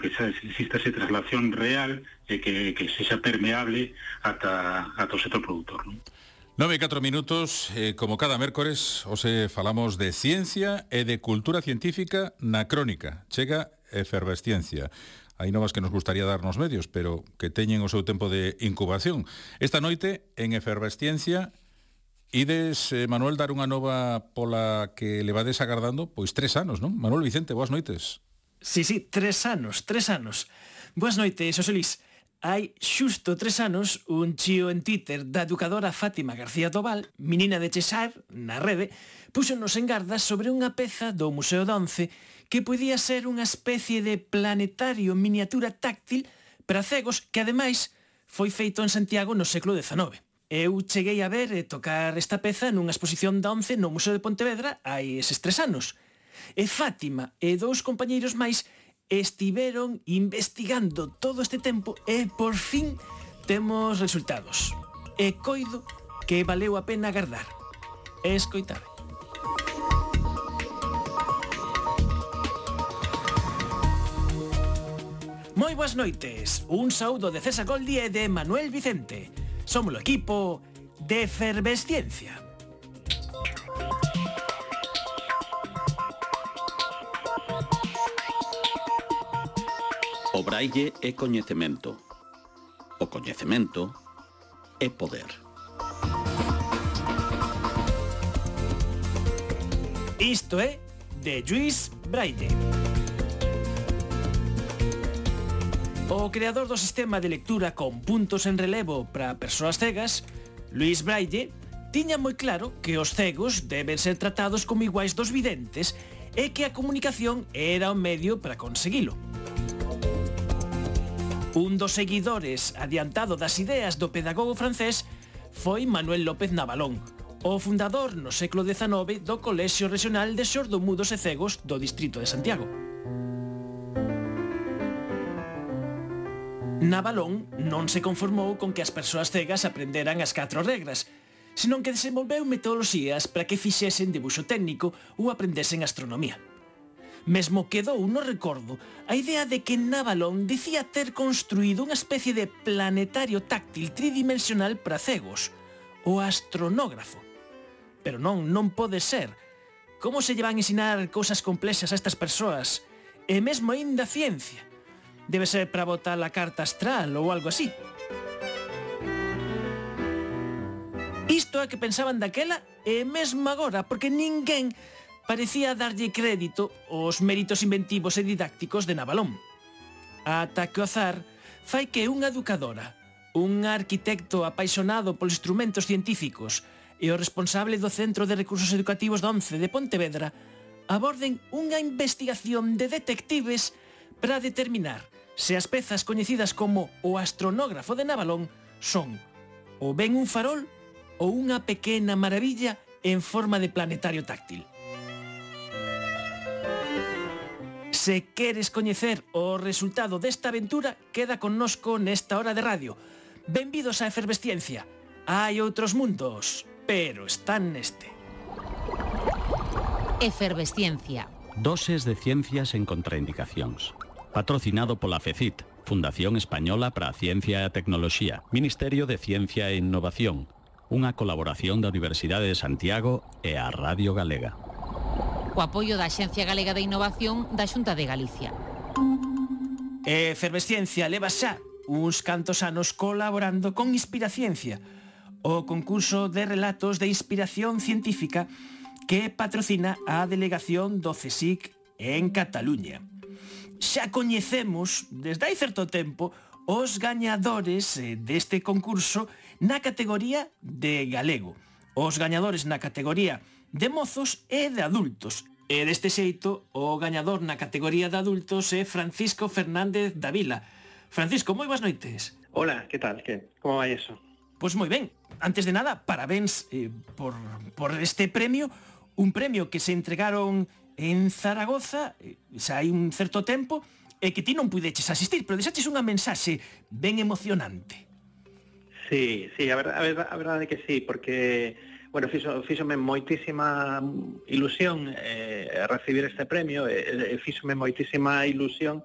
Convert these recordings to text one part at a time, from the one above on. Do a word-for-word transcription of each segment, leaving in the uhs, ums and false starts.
que xa exista esa traslación real e que, que sexa permeable ata, ata o sector productor, non? Nove e catro minutos, eh, como cada mércores, hoxe falamos de ciencia e de cultura científica na crónica. Chega Efervesciencia. Hai novas que nos gustaría dar nos medios, pero que teñen o seu tempo de incubación. Esta noite, en Efervesciencia, ides, eh, Manuel, dar unha nova pola que levades agardando, pois tres anos, non? Manuel Vicente, boas noites. Sí, sí, tres anos, tres anos. Boas noites, Xosé Luis. Hai xusto tres anos un chío en Twitter da educadora Fátima García Tobal, menina de Chesar, na rede, púxonos en garda sobre unha peza do Museo de Once que podía ser unha especie de planetario miniatura táctil para cegos que, ademais, foi feito en Santiago no século dezanove. Eu cheguei a ver e tocar esta peza nunha exposición da Once no Museo de Pontevedra hai eses tres anos. E Fátima e dous compañeiros máis estiveron investigando todo este tempo e, por fin, temos resultados. E coido que valeu a pena agardar. E escoitar. Moi boas noites. Un saúdo de César Goldi e de Manuel Vicente. Somos o equipo de Efervesciencia. O braille é coñecemento. O coñecemento é poder. Isto é de Lluís Braille. O creador do sistema de lectura con puntos en relevo para persoas cegas, Lluís Braille, tiña moi claro que os cegos deben ser tratados como iguais dos videntes e que a comunicación era o medio para conseguilo. Un dos seguidores adiantado das ideas do pedagogo francés foi Manuel López Navalón, o fundador no século dezanove do Colexio Regional de Xordomudos e Cegos do Distrito de Santiago. Navalón non se conformou con que as persoas cegas aprenderan as catro regras, senón que desenvolveu metodoloxías para que fixesen debuxo técnico ou aprendesen astronomía. Mesmo quedou no recordo a idea de que Navalón dicía ter construído unha especie de planetario táctil tridimensional para cegos, o astronógrafo. Pero non, non pode ser. Como se lle van ensinar cousas complexas a estas persoas? E mesmo aínda ciencia. Debe ser para botar a carta astral ou algo así. Isto é que pensaban daquela e mesmo agora, porque ninguén parecía darlle crédito aos méritos inventivos e didácticos de Navalón. Ata que o azar fai que unha educadora, un arquitecto apaixonado polos instrumentos científicos e o responsable do Centro de Recursos Educativos de Once de Pontevedra aborden unha investigación de detectives para determinar se as pezas coñecidas como o astronógrafo de Navalón son ou ben un farol ou unha pequena maravilla en forma de planetario táctil. Se queres coñecer o resultado desta aventura, queda connosco nesta hora de radio. Benvidos á Efervesciencia. Hai outros mundos, pero están neste. Efervesciencia. Doses de ciencias en contraindicacións. Patrocinado pola FECIT, Fundación Española para a Ciencia e a Tecnoloxía, Ministerio de Ciencia e Innovación, unha colaboración da Universidade de Santiago e a Radio Galega. O apoio da Axencia Galega de Innovación da Xunta de Galicia. Efervesciencia leva xa uns cantos anos colaborando con Inspiraciencia, o concurso de relatos de inspiración científica que patrocina a delegación do CSIC en Cataluña. Xa coñecemos, desde hai certo tempo, os gañadores deste concurso na categoría de galego, os gañadores na categoría de mozos e de adultos. E deste xeito, o gañador na categoría de adultos é Francisco Fernández Davila. Francisco, moi boas noites. Hola, que tal? Que? Como vai eso? Pois moi ben. Antes de nada, parabéns eh, por, por este premio, un premio que se entregaron en Zaragoza eh, xa hai un certo tempo e que ti non puideches asistir, pero deixaches unha mensaxe ben emocionante. Sí, sí, a verdade, a verdade, a verdade que sí, porque bueno, fixo, fíxome moitísima ilusión eh, recibir este premio, e eh, fíxome moitísima ilusión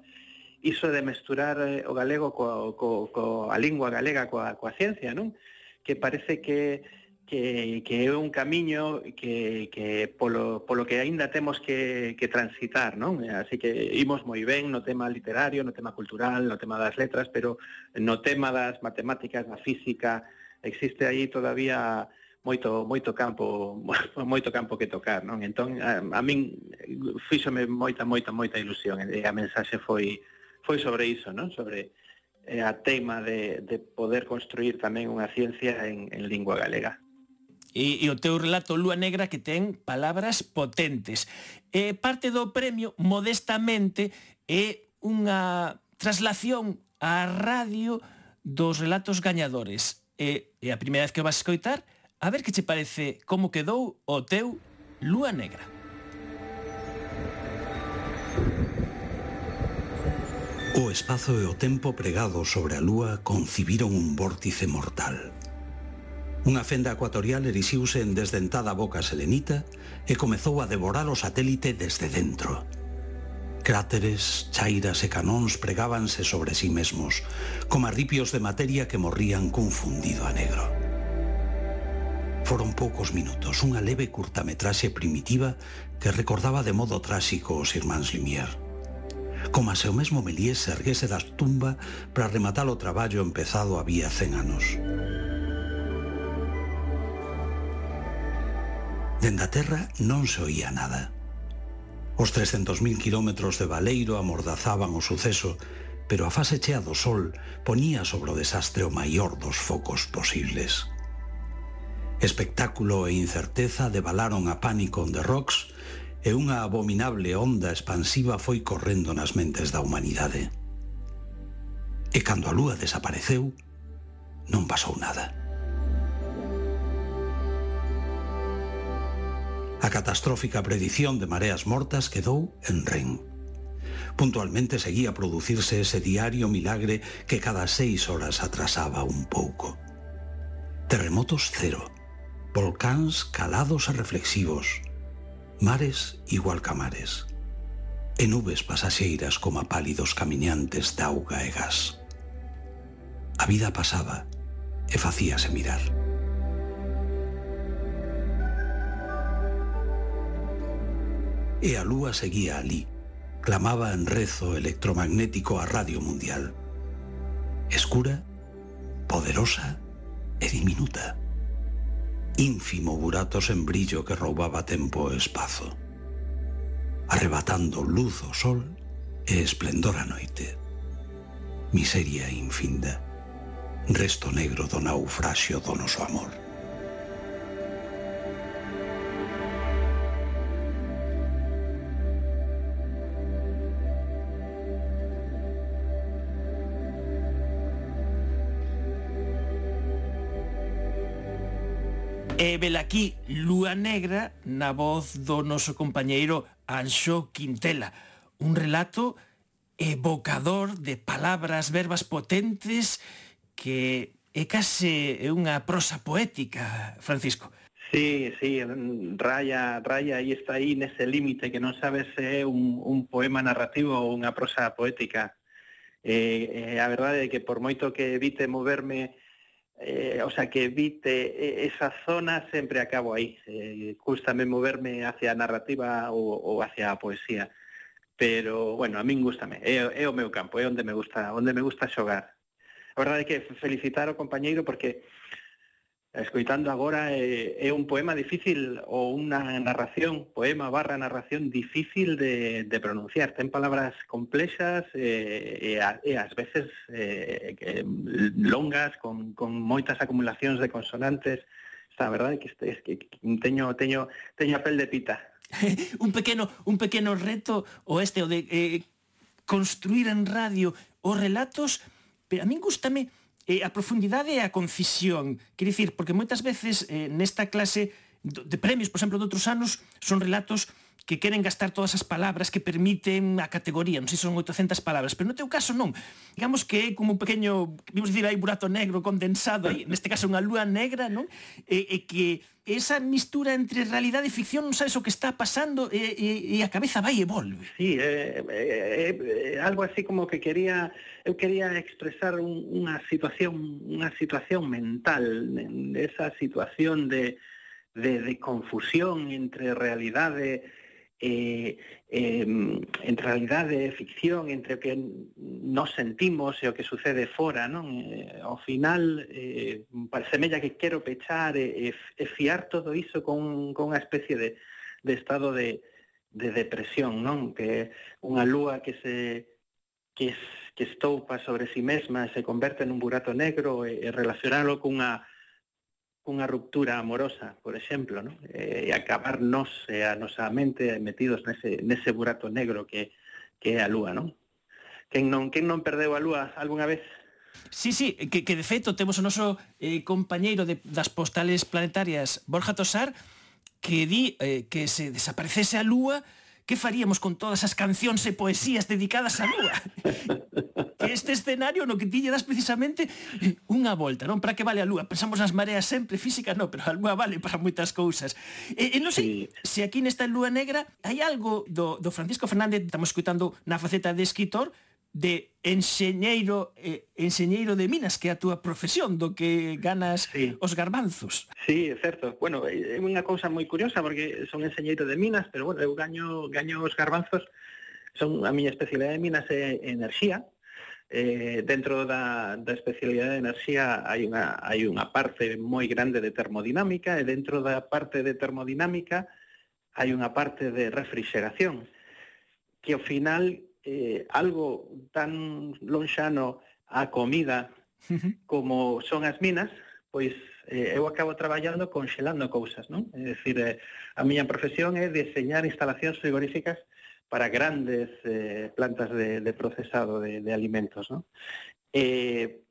iso de mesturar eh, o galego coa, co, co, a lingua galega coa, coa ciencia, non? Que parece que que, que é un camiño que, que polo, polo que aínda temos que, que transitar, non? Así que imos moi ben no tema literario, no tema cultural, no tema das letras, pero no tema das matemáticas, da física, existe aí todavía moito moito campo moito campo que tocar, non? Entón a, a min fíxome moita moita moita ilusión e a mensaxe foi foi sobre iso, non? Sobre eh, a tema de, de poder construir tamén unha ciencia en, en lingua galega. E, e o teu relato Lúa Negra que ten palabras potentes. E parte do premio, modestamente, é unha traslación á radio dos relatos gañadores. E, e a primeira vez que o vas a escoitar, a ver que che parece como quedou o teu Lúa Negra. O espazo e o tempo pregados sobre a Lúa concibiron un vórtice mortal. Unha fenda ecuatorial erixiuse en desdentada boca selenita e comezou a devorar o satélite desde dentro. Cráteres, chairas e canóns pregábanse sobre sí mesmos, como arripios de materia que morrían cun fundido a negro. Foron poucos minutos, unha leve curtametraxe primitiva que recordaba de modo tráxico os irmáns Lumière. Como se o mesmo Méliès se erguese das tumba para rematar o traballo empezado había cen anos. Dende a terra non se oía nada. Os trescentos mil kilómetros de baleiro amordazaban o suceso, pero a fase chea do sol ponía sobre o desastre o maior dos focos posibles. Espectáculo e incerteza debalaron a Panic on the Rocks e unha abominable onda expansiva foi correndo nas mentes da humanidade. E cando a lúa desapareceu, non pasou nada. A catastrófica predición de mareas mortas quedou en ren. Puntualmente seguía a producirse ese diario milagre que cada seis horas atrasaba un pouco. Terremotos cero, volcáns calados e reflexivos, mares igual que mares, e nubes pasaxeiras como a pálidos camiñantes de auga e gas. A vida pasaba e facíase mirar. E a lúa seguía alí, clamaba en rezo electromagnético a radio mundial. Escura, poderosa e diminuta. Ínfimo burato sen brillo que roubaba tempo e espazo. Arrebatando luz ao sol e esplendor á noite. Miseria infinda. Resto negro do naufraxio do noso amor. E velaquí Lúa Negra na voz do noso compañeiro Anxo Quintela. Un relato evocador de palabras, verbas potentes que é case unha prosa poética, Francisco. Sí, sí, raya, raya aí está aí nese límite que non sabes se é un, un poema narrativo ou unha prosa poética. Eh, eh, a verdade é que por moito que evite moverme Eh, o sea, que evite esa zona, sempre acabo aí. Eh, gústame moverme hacia a narrativa ou, ou hacia a poesía. Pero, bueno, a min gústame. É, é o meu campo, é onde me gusta, onde me gusta xogar. A verdade é que felicitar ao compañeiro porque escoitando agora é, é un poema difícil ou unha narración, poema barra narración difícil de, de pronunciar. Ten palabras complexas e, e, a, e ás veces eh, que, longas, con, con moitas acumulacións de consonantes. Está, a verdade que, este, que teño, teño, teño a pel de pita. un pequeno un pequeno reto o este o de eh, construir en radio os relatos, pero a min gústame Eh, a profundidade e a concisión. Quer dicir, porque moitas veces eh, nesta clase de premios, por exemplo, de outros anos, son relatos que queren gastar todas as palabras que permiten a categoría, non sei se son oitocentas palabras, pero no teu caso non. Digamos que é como un pequeño, vimos dicir aí, burato negro condensado aí, neste caso unha lúa negra, non? E, e que esa mistura entre realidade e ficción non sabes o que está pasando e, e, e a cabeza vai e volve. Sí, é, é, é algo así como que quería, eu quería expresar un, unha situación, unha situación mental, esa situación de, de, de confusión entre realidade Eh, eh, entre realidade e ficción, entre o que nos sentimos e o que sucede fora, non? Eh, ao final, eh, semella que quero pechar e, e fiar todo iso con, con unha especie de, de estado de, de depresión, non? Que unha lúa que se que, que estoupa sobre si mesma e se converte nun burato negro e, e relacionalo cunha unha ruptura amorosa, por exemplo, ¿no? E acabar nos e a nosa mente metidos nese, nese burato negro que, que é a lúa, non? Quen non, quen non perdeu a lúa algunha vez? Sí, sí, que, que de feito temos o noso eh, compañeiro de, das postales planetarias, Borja Tosar, que di eh, que se desaparecese a lúa, que faríamos con todas as cancións e poesías dedicadas á lúa? Que este escenario no que ti lle das precisamente unha volta, non? Para que vale a lúa? Pensamos nas mareas sempre, física non, pero a lúa vale para moitas cousas. E, e non sei sí. Se aquí nesta lúa negra hai algo do, do Francisco Fernández, estamos escutando na faceta de escritor, de enxeñeiro eh, enxeñeiro de minas, que é a túa profesión, do que ganas sí. Os garbanzos. Sí, é certo. Bueno, é unha cousa moi curiosa, porque son enxeñeiro de minas, pero bueno, eu gaño, gaño os garbanzos, son a miña especialidade de minas é enerxía. Eh, dentro da, da especialidade de enerxía hai unha, hai unha parte moi grande de termodinámica, e dentro da parte de termodinámica hai unha parte de refrigeración, que ao final eh, algo tan lonxano á comida como son as minas, pois eh, eu acabo traballando conxelando cousas, non? É dicir, eh, a miña profesión é diseñar instalacións frigoríficas para grandes eh, plantas de, de procesado de, de alimentos, non? Eh,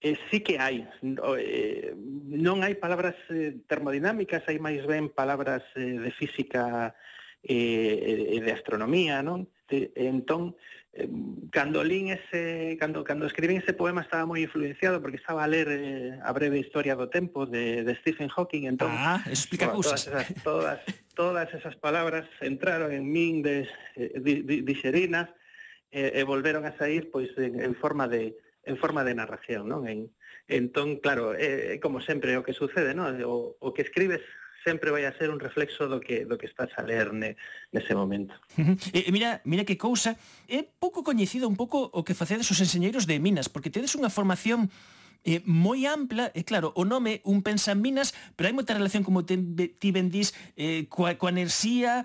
eh, sí que hai, eh, non hai palabras eh, termodinámicas, hai máis ben palabras eh, de física e eh, de astronomía, non? De, entón, eh, cando lín ese, cando, cando escribín ese poema estaba moi influenciado porque estaba a ler eh, a breve historia do tempo de, de Stephen Hawking, entón ah, explica todas, esas, todas, todas esas palabras entraron en min de, de, de, dixerinas e, e volveron a sair pois en, en forma de en forma de narración, non? En, entón, claro, é, é como sempre o que sucede, non? O, o que escribes sempre vai a ser un reflexo do que do que estás a ler ne, nese momento. Uh-huh. E, mira, mira que cousa, é pouco coñecido un pouco o que facedes os enxeñeiros de minas, porque tedes unha formación eh, moi ampla, e claro, o nome un pensa en minas, pero hai moita relación, como te, ti ben dís, eh, coa, coa enerxía,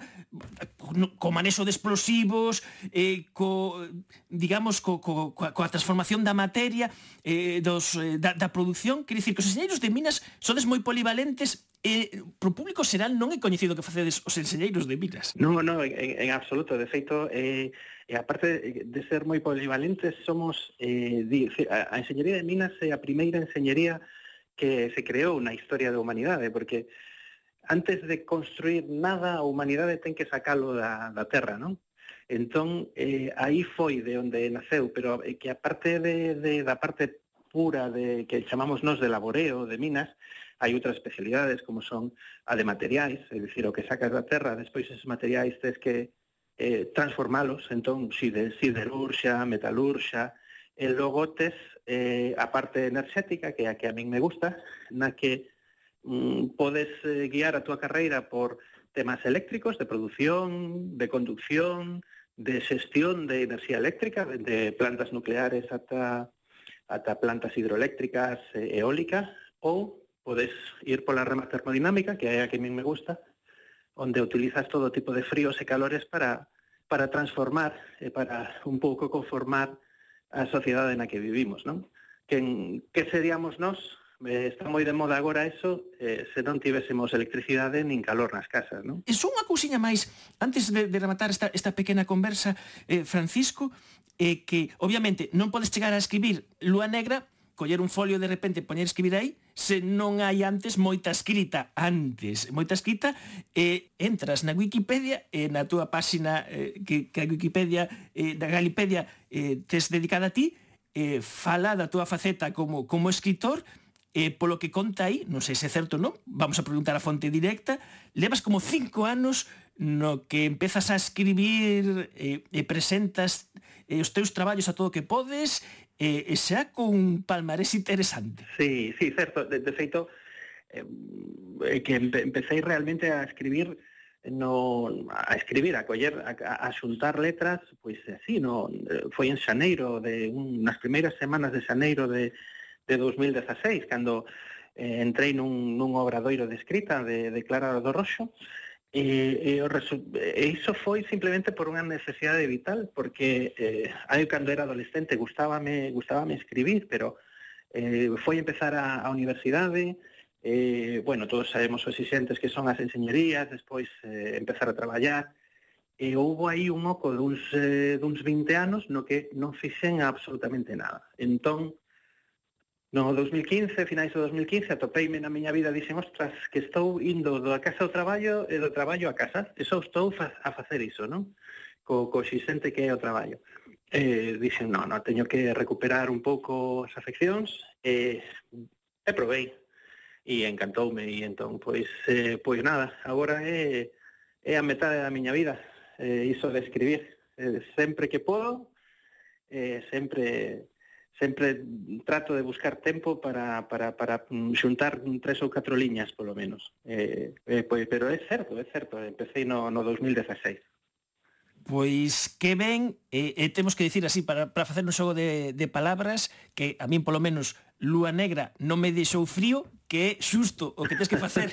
co manexo de explosivos, eh, co, digamos, co, co, coa, coa transformación da materia, eh, dos, eh, da, da produción. Quer dicir que os enxeñeiros de minas sodes moi polivalentes, e pro público xeral non é coñecido que facedes os enxeñeiros de minas. Non, non, en, en absoluto. De feito, eh, e aparte de ser moi polivalentes, somos eh, di, a, a enxeñería de minas é a primeira enxeñería que se creou na historia da humanidade, porque antes de construir nada, a humanidade ten que sacalo da, da terra, non? Entón, eh, aí foi de onde naceu, pero que a parte de, de, da parte pura de que chamamos nos de laboreo, de minas, hai outras especialidades como son a de materiais, é dicir, o que sacas da terra, despois esos materiais tens que eh, transformalos, entón, siderurxa, metalurxa, e logo tes eh, a parte enerxética, que é a que a min me gusta, na que mm, podes eh, guiar a túa carreira por temas eléctricos, de produción, de conducción, de xestión de enerxía eléctrica, de plantas nucleares ata, ata plantas hidroeléctricas, e eólicas, ou podes ir pola rama termodinámica, que é a que a min me gusta, onde utilizas todo tipo de fríos e calores para, para transformar e para un pouco conformar a sociedade na que vivimos, non? Que, que seríamos nós? Eh, está moi de moda agora eso, eh, se non tivésemos electricidade nin calor nas casas, non? E só unha cousiña máis, antes de, de rematar esta, esta pequena conversa, eh, Francisco, eh, que obviamente non podes chegar a escribir Lúa Negra, coller un folio de repente, poñer a escribir aí, se non hai antes moita escrita antes, moita escrita, e entras na Wikipedia e na túa páxina eh, que, que a Wikipedia, eh, da Galipedia eh, tes dedicada a ti, eh, fala da túa faceta como, como escritor, e polo que conta aí, non sei se é certo ou non, vamos a preguntar a fonte directa, levas como cinco anos no que empezas a escribir e, e presentas e os teus traballos a todo o que podes, e, e xa con palmarés interesante. Sí, sí, certo. De, de feito, eh, que empe, empecé realmente a escribir no a escribir, a coller, a, a xuntar letras, pois así, no, foi en xaneiro, de un, nas primeiras semanas de xaneiro de de dos mil dezaseis, cando eh, entrei nun, nun obradoiro de escrita de, de Clara do Roxo, e, e, e iso foi simplemente por unha necesidade vital, porque eh, aí cando era adolescente gustábame, gustábame escribir, pero eh, foi empezar a, a universidade, eh, bueno, todos sabemos os exixentes que son as enseñerías, despois eh, empezar a traballar, e houve aí un oco duns, eh, duns vinte anos no que non fixen absolutamente nada. Entón, no dos mil quince, finais do dos mil quince, atopeime na miña vida, dixen, ostras, que estou indo da casa ao traballo e do traballo a casa, e só estou fa a facer iso, non? Co, co xixente que é o traballo. E dixen, non, non, teño que recuperar un pouco as afeccións, e, e provei, e encantoume, e entón, pois, eh, pois nada, agora é, é a metade da miña vida, eh, iso de escribir, eh, sempre que podo, eh, sempre... sempre trato de buscar tempo para, para, para xuntar tres ou catro liñas, polo menos. Eh, eh, pois, pero é certo, é certo, empecé no, no dos mil dezaseis. Pois que ben, e, e temos que dicir así, para, para facer un xogo de, de palabras, que a min polo menos Lúa Negra non me deixou frío, que é xusto o que tens que facer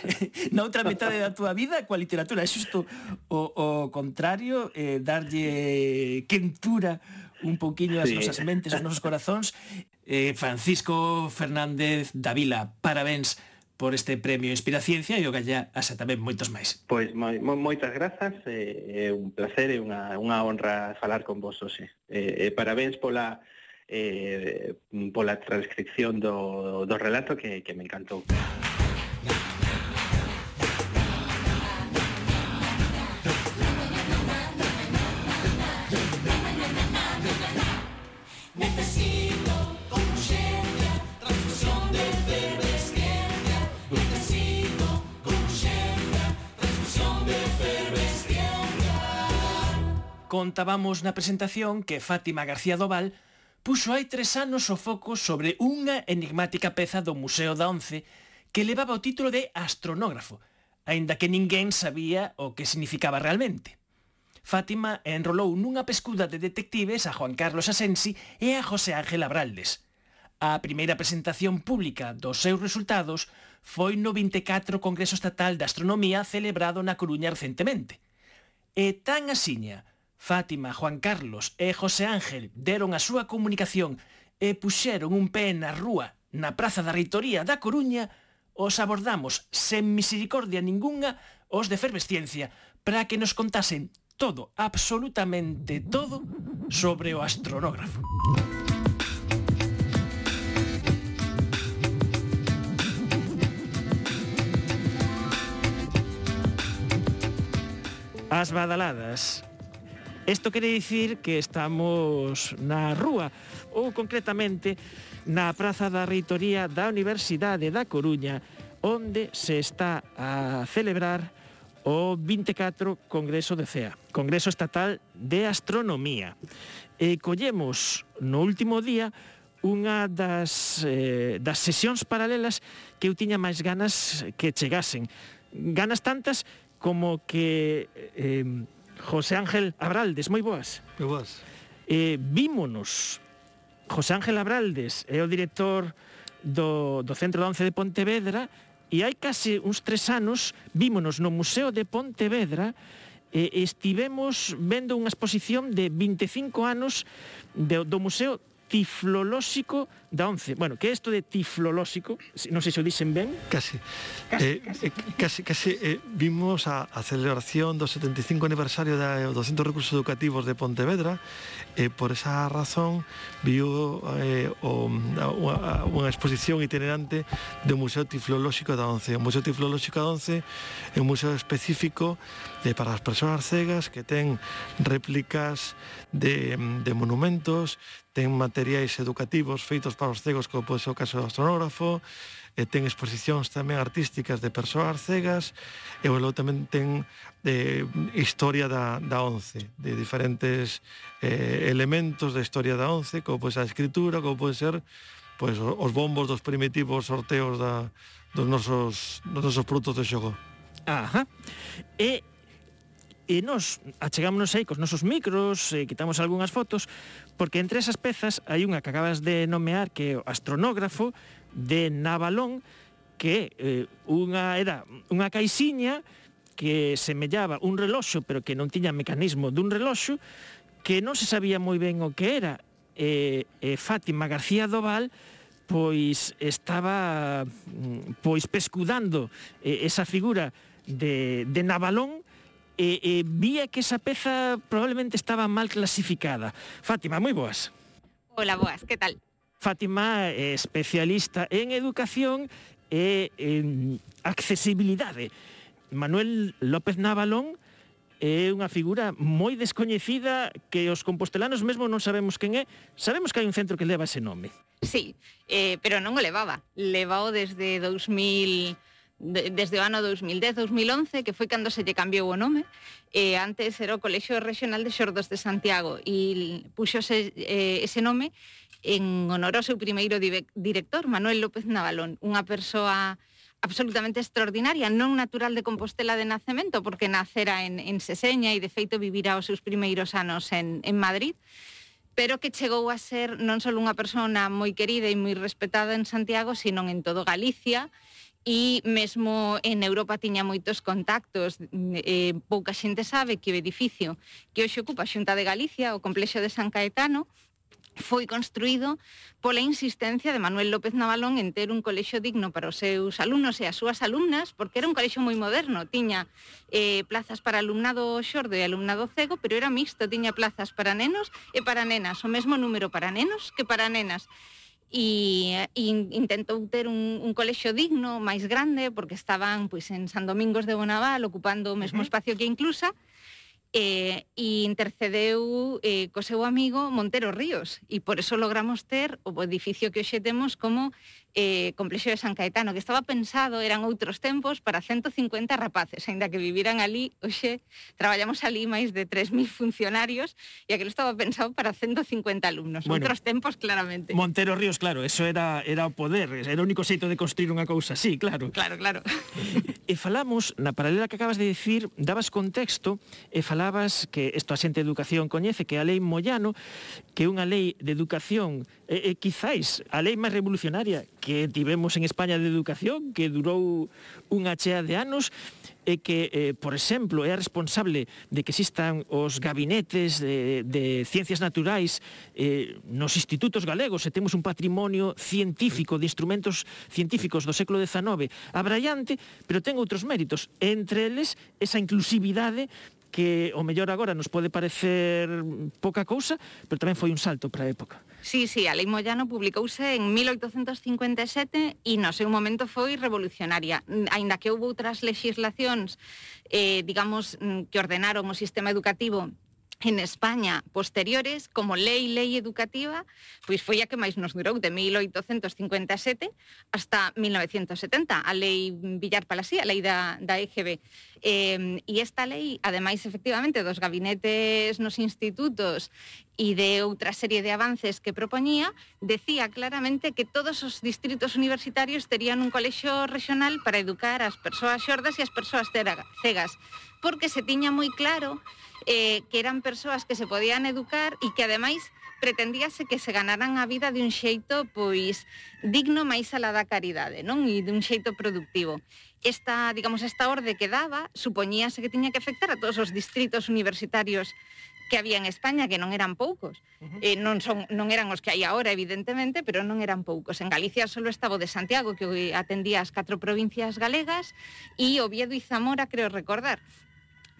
na outra metade da túa vida coa literatura, é xusto o, o contrario, eh, darlle quentura un pouquiño as sí. nosas mentes, os nosos corazóns. eh, Francisco Fernández Davila, parabéns por este premio Inspiraciencia e o galla asa tamén moitos máis. Pois moi, moi, moitas grazas, é eh, un placer e unha, unha honra falar con vos hoxe. Eh, eh, parabéns pola eh, pola transcripción do, do relato que, que me encantou. Contábamos na presentación que Fátima García Doval puxo hai tres anos o foco sobre unha enigmática peza do Museo da Once que levaba o título de astronógrafo, aínda que ninguén sabía o que significaba realmente. Fátima enrolou nunha pescuda de detectives a Juan Carlos Asensi e a José Ángel Abraldes. A primeira presentación pública dos seus resultados foi no vinte e catro Congreso Estatal de Astronomía celebrado na Coruña recentemente. E tan asiña, Fátima, Juan Carlos e José Ángel deron a súa comunicación e puxeron un pé na rúa na Praza da Reitoría da Coruña, os abordamos sen misericordia ningunha os de Efervesciencia para que nos contasen todo, absolutamente todo, sobre o astronógrafo. As badaladas. Isto quere dicir que estamos na rúa, ou concretamente na Praza da Reitoría da Universidade da Coruña, onde se está a celebrar o vinte e catro Congreso de C E A, Congreso Estatal de Astronomía. E collemos no último día unha das, eh, das sesións paralelas que eu tiña máis ganas que chegasen. Ganas tantas como que... Eh, José Ángel Abraldes, moi boas. Moi boas. Eh, vímonos. José Ángel Abraldes é o director do, do Centro da Once de Pontevedra e hai case uns tres anos vímonos no Museo de Pontevedra e estivemos vendo unha exposición de vinte e cinco anos de, do museo tiflolóxico da once. Bueno, que é isto de tiflolóxico? Non sei se o dixen ben. Casi. Casi, eh, casi. Eh, casi, casi eh, vimos a, a celebración do setenta e cinco aniversario dos Centros Recursos Educativos de Pontevedra e eh, por esa razón viu eh, o, a, unha exposición itinerante do Museo Tiflolóxico da once. O Museo Tiflolóxico da once é un museo específico eh, para as persoas cegas que ten réplicas de, de monumentos, ten materiais educativos feitos para os cegos, como pode ser o caso do astronógrafo, e ten exposicións tamén artísticas de persoas cegas, e logo tamén ten eh, historia da, da once, de diferentes eh, elementos da historia da once, como pode ser a escritura, como pode ser pois, os bombos dos primitivos sorteos da, dos, nosos, dos nosos produtos de xogo. Ajá. E E nos achegámonos aí cos nosos micros, e quitamos algunhas fotos, porque entre esas pezas hai unha que acabas de nomear, que é o astronógrafo de Navalón, que eh, unha era unha caixiña que semellaba un reloxo, pero que non tiña mecanismo dun reloxo, que non se sabía moi ben o que era. E, e Fátima García Doval pois estaba pois pescudando esa figura de, de Navalón, e, e vía que esa peza probablemente estaba mal clasificada. Fátima, moi boas. Hola, boas, que tal? Fátima é especialista en educación e en accesibilidade. Manuel López Navalón é unha figura moi descoñecida que os compostelanos mesmo non sabemos quen é. Sabemos que hai un centro que leva ese nome. Sí, eh, pero non o levaba. Levao desde dous mil... desde o ano dous mil dez, dous mil once, que foi cando se lle cambiou o nome. Eh, antes era o Colexio Regional de Xordos de Santiago e puxose eh, ese nome en honor ao seu primeiro director, Manuel López Navalón, unha persoa absolutamente extraordinaria, non natural de Compostela de nacemento, porque nacera en, en Seseña e de feito vivira os seus primeiros anos en, en Madrid, pero que chegou a ser non só unha persona moi querida e moi respetada en Santiago, sino en todo Galicia, e mesmo en Europa tiña moitos contactos. Eh, pouca xente sabe que o edificio que hoxe ocupa a Xunta de Galicia, o complexo de San Caetano, foi construído pola insistencia de Manuel López Navalón en ter un colexio digno para os seus alumnos e as súas alumnas, porque era un colexio moi moderno, tiña eh, plazas para alumnado xordo e alumnado cego, pero era mixto, tiña plazas para nenos e para nenas, o mesmo número para nenos que para nenas. E, e intentou ter un, un colexio digno, máis grande, porque estaban pois, en San Domingos de Bonaval, ocupando o mesmo espacio que Inclusa, e, e intercedeu eh, co seu amigo Montero Ríos, e por eso logramos ter o edificio que hoxe temos como eh, complexo de San Caetano, que estaba pensado, eran outros tempos, para ciento cincuenta rapaces, aínda que viviran ali. Hoxe traballamos ali máis de tres mil funcionarios, e aquilo estaba pensado para ciento cincuenta alumnos. Bueno, outros tempos, claramente. Montero Ríos, claro, eso era, era o poder, era o único xeito de construir unha cousa así, claro. Claro, claro. E falamos, na paralela que acabas de dicir, dabas contexto, e falabas que isto a xente de educación coñece, que a lei Moyano, que é unha lei de educación, e, e quizáis a lei máis revolucionaria que tivemos en España de educación, que durou unha chea de anos, e que, eh, por exemplo, é responsable de que existan os gabinetes de, de ciencias naturais eh, nos institutos galegos, e temos un patrimonio científico de instrumentos científicos do século dezanove abraiante, pero ten outros méritos, entre eles esa inclusividade que o mellor agora nos pode parecer pouca cousa, pero tamén foi un salto para a época. Sí, sí, a lei Moyano publicouse en mil oitocentos cincuenta e sete e no seu momento foi revolucionaria. Aínda que houve outras legislacións, eh, digamos, que ordenaron o sistema educativo en España posteriores, como lei, lei educativa, pois foi a que máis nos durou, de mil oitocentos cincuenta e sete hasta mil novecentos setenta, a lei Villar Palasí, a lei da, da E G B. Eh, e esta lei, ademais, efectivamente, dos gabinetes nos institutos e de outra serie de avances que propoñía, decía claramente que todos os distritos universitarios terían un colexio regional para educar as persoas xordas e as persoas cegas, porque se tiña moi claro eh, que eran persoas que se podían educar e que, ademais, pretendíase que se ganaran a vida de un xeito pois digno máis alá da caridade, non? E de un xeito productivo. Esta, digamos, esta orde que daba supoñíase que tiña que afectar a todos os distritos universitarios que había en España, que non eran poucos. Uh-huh. Eh, non, son, non eran os que hai agora, evidentemente, pero non eran poucos. En Galicia solo estaba o de Santiago, que atendía as catro provincias galegas, e Oviedo e Zamora, creo recordar.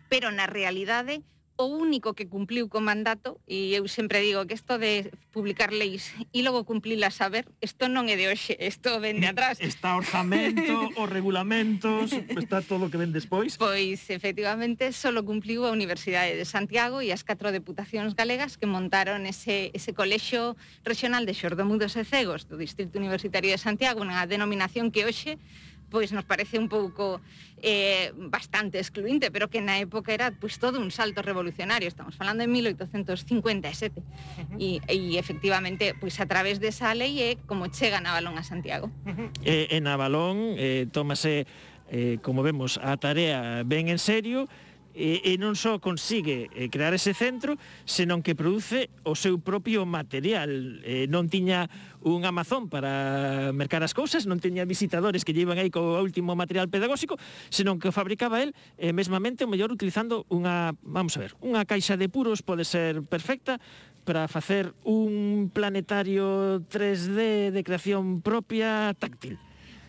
Pero na realidade, o único que cumpliu co mandato, e eu sempre digo que isto de publicar leis e logo cumplilas a ver, isto non é de hoxe, isto ven de atrás. Está orzamento, os regulamentos, está todo o que ven despois. Pois, efectivamente, solo cumpliu a Universidade de Santiago e as catro deputacións galegas que montaron ese, ese colexio regional de xordomudos e cegos do Distrito Universitario de Santiago, unha denominación que hoxe pois nos parece un pouco eh, bastante excluinte, pero que na época era pois todo un salto revolucionario. Estamos falando de mil oitocentos cincuenta e sete. Uh-huh. e, e efectivamente, pois a través desa lei é como chega Navalón a Santiago. Uh-huh. eh, en Navalón eh, tómase, eh, como vemos, a tarea ben en serio, e, e non só consigue eh, crear ese centro, senón que produce o seu propio material. Eh, non tiña un Amazon para mercar as cousas, non tiña visitadores que llevan aí co último material pedagóxico, senón que o fabricaba él eh, mesmamente, o mellor utilizando unha, vamos a ver, unha caixa de puros pode ser perfecta para facer un planetario tres D de creación propia táctil.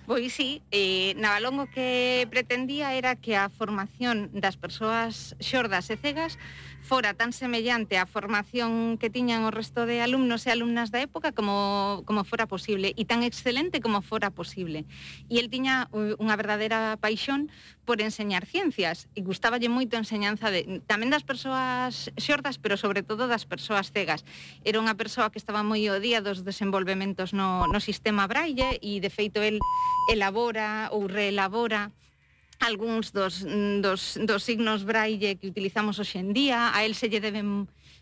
Pois sí, eh, Navalón o que pretendía era que a formación das persoas xordas e cegas fora tan semellante á formación que tiñan o resto de alumnos e alumnas da época como, como fora posible, e tan excelente como fora posible. E el tiña unha verdadeira paixón por enseñar ciencias, e gustáballe moito a enseñanza de, tamén das persoas xordas, pero sobre todo das persoas cegas. Era unha persoa que estaba moi ao día dos desenvolvementos no, no sistema Braille, e de feito el elabora ou reelabora algúns dos, dos, dos signos Braille que utilizamos hoxe en día. A él se lle debe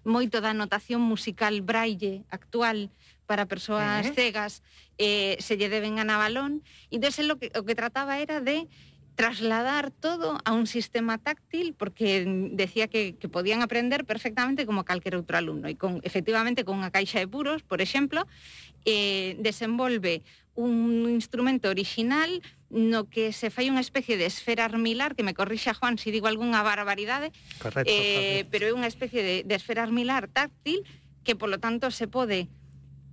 moito da notación musical Braille actual para persoas uh-huh. cegas, eh, se lle deben a Navalón. E entón, o que, o que trataba era de trasladar todo a un sistema táctil, porque decía que, que podían aprender perfectamente como calquer outro alumno. E con, efectivamente, con unha caixa de puros, por exemplo, eh, desenvolve un instrumento original no que se fai unha especie de esfera armilar, que me corrixa Juan se digo algunha barbaridade. Correcto, eh, pero é unha especie de, de esfera armilar táctil que, polo tanto, se pode